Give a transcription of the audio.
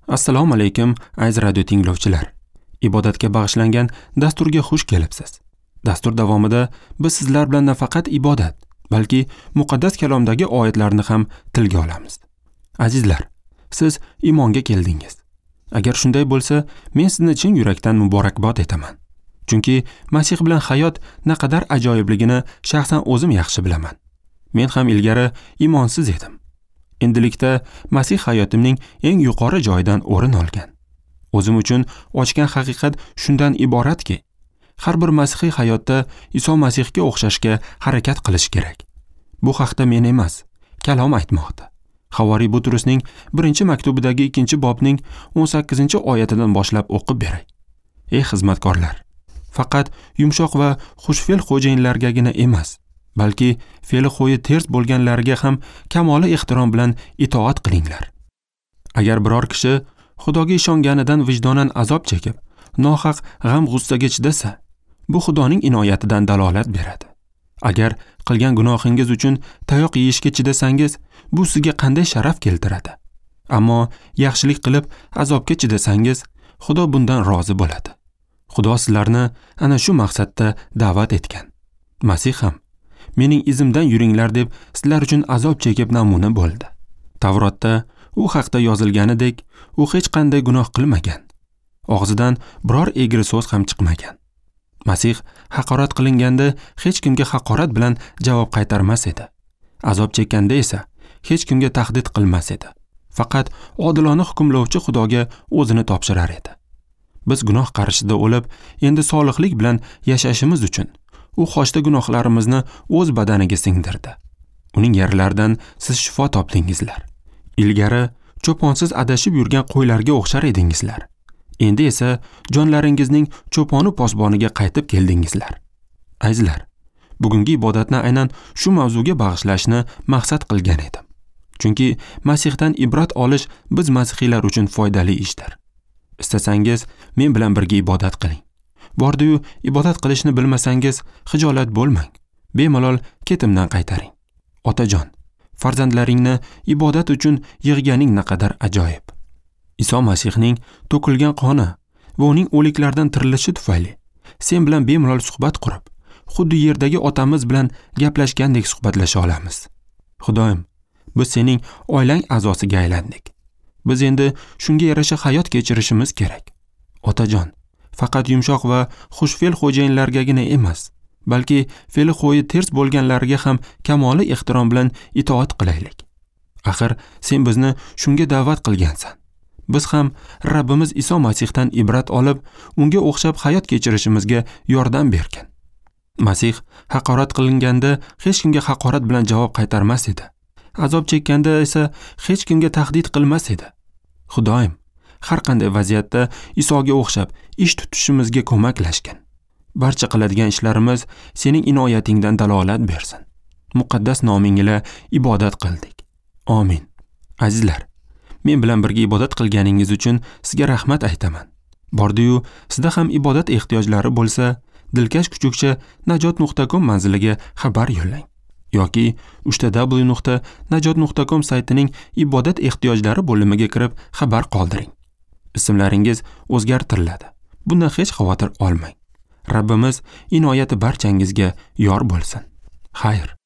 Assalomu alaykum, aziz radio tinglovchilar. Ibodatga bag'ishlangan dasturga xush kelibsiz. Dastur davomida biz sizlar bilan nafaqat ibodat, balki muqaddas kalomdagi oyatlarni ham tilga olamiz. Azizlar, siz iymonga keldingiz. Agar shunday bo'lsa, men sizni chin yurakdan muborakbod etaman. Chunki Masih bilan hayot naqadar ajoyibligini shaxsan o'zim yaxshi bilaman. Men ham ilgari iymonsiz edim. Endilikda Masih hayotimning eng yuqori joyidan o'rin olgan. O'zim uchun ochgan haqiqat shundan iboratki, har bir masihiy hayotda Iso Masihga o'xshashga harakat qilish kerak. Bu haqda men emas, kalom aytmoqda. Havoriy Butrusning 1-maktubidagi 2-bobning 18-oyatidan boshlab o'qib beray. Ey xizmatkorlar, faqat yumshoq va xushfe'l xo'jayinlargagina emas, balki fe'li xo'yi ters bo'lganlarga ham kamoli ehtirom bilan itoat qilinglar. Agar biror kishi Xudoga ishonganidan vijdonan azob chekib, nohaq g'am-g'ussaga chidasa, bu Xudoning inoyatidan dalolat beradi. Agar qilgan gunohingiz uchun tayoq yeyishga chidasangiz, bu sizga qanday sharaf keltiradi? Ammo yaxshilik qilib azobga chidasangiz, Xudo bundan rozi bo'ladi. Xudo sizlarni ana shu maqsadda da'vat etgan. Masih ham mening izimdan yuringlar deb sizlar uchun azob chekib namuna bo'ldi. Tavrotda u haqda yozilganidek, u hech qanday gunoh qilmagan. Og'zidan biror egri so'z ham chiqmagan. Masih haqorat qilinganda hech kimga haqorat bilan javob qaytarmas edi. Azob chekkanda esa hech kimga tahdid qilmas edi. Faqat odilona hukmlovchi Xudoga o'zini topshirar edi. Biz gunoh qarshisida o'lib, endi solihlik bilan yashashimiz uchun u xochda gunohlarimizni o'z badaniga singdirdi. Uning yaralaridan siz shifo topdingizlar. Ilgari cho'ponsiz adashib yurgan qo'ylarga o'xshar edingizlar. Endi esa jonlaringizning cho'poni posboniga qaytib keldingizlar. Azizlar, bugungi ibodatni aynan shu mavzuga bag'ishlashni maqsad qilgan edim. Chunki Masihdan ibrat olish biz masihiylar uchun foydali ishdir. Istasangiz men bilan birga ibodat qiling. Bordi-yu ibodat qilishni bilmasangiz xijolat bo'lmang. Bemalol ketimdan qaytaring. Otajon, farzandlaringni ibodat uchun yig'ganing naqadar ajoyib. Iso Masihning to'kilgan qoni va uning o'liklardan tirilishi tufayli sen bilan bemalol suhbat qurib, xuddi yerdagi otamiz bilan gaplashgandek suhbatlasha olamiz. Xudoyim, biz sening oilang a'zosiga aylandik. Biz endi shunga yarasha hayot kechirishimiz kerak. Otajon, faqat yumshoq va xushfe'l xo'jayinlargagina emas, balki fe'li xo'yi ters bo'lganlarga ham kamoli ehtirom bilan itoat qilaylik. Axir sen bizni shunga da'vat qilgansan. Biz ham Rabbimiz Iso Masihdan ibrat olib, unga o'xshab hayot kechirishimizga yordam bergan. Masih haqorat qilinganda hech kimga haqorat bilan javob qaytarmas edi. Azob chekkanda esa hech kimga tahdid qilmas edi. Xudoyim, har qanday vaziyatda Isoga o'xshab ish tutishimizga ko'maklashgin. Barcha qiladigan ishlarimiz sening inoyatingdan dalolat bersin. Muqaddas noming ila ibodat qildik. Amin. Azizlar, men bilan birga ibodat qilganingiz uchun sizga rahmat aytaman. Bordi-yu, sizda ham ibodat ehtiyojlari bo'lsa, dilkash kuchukcha najot.com manziliga xabar yo'llang yoki www.najot.com saytining ibodat ehtiyojlari bo'limiga kirib xabar qoldiring. Ismlaringiz o'zgartiriladi. Bundan hech xavotir olmang. Rabbimiz inoyati barchangizga yor bo'lsin. Xayr.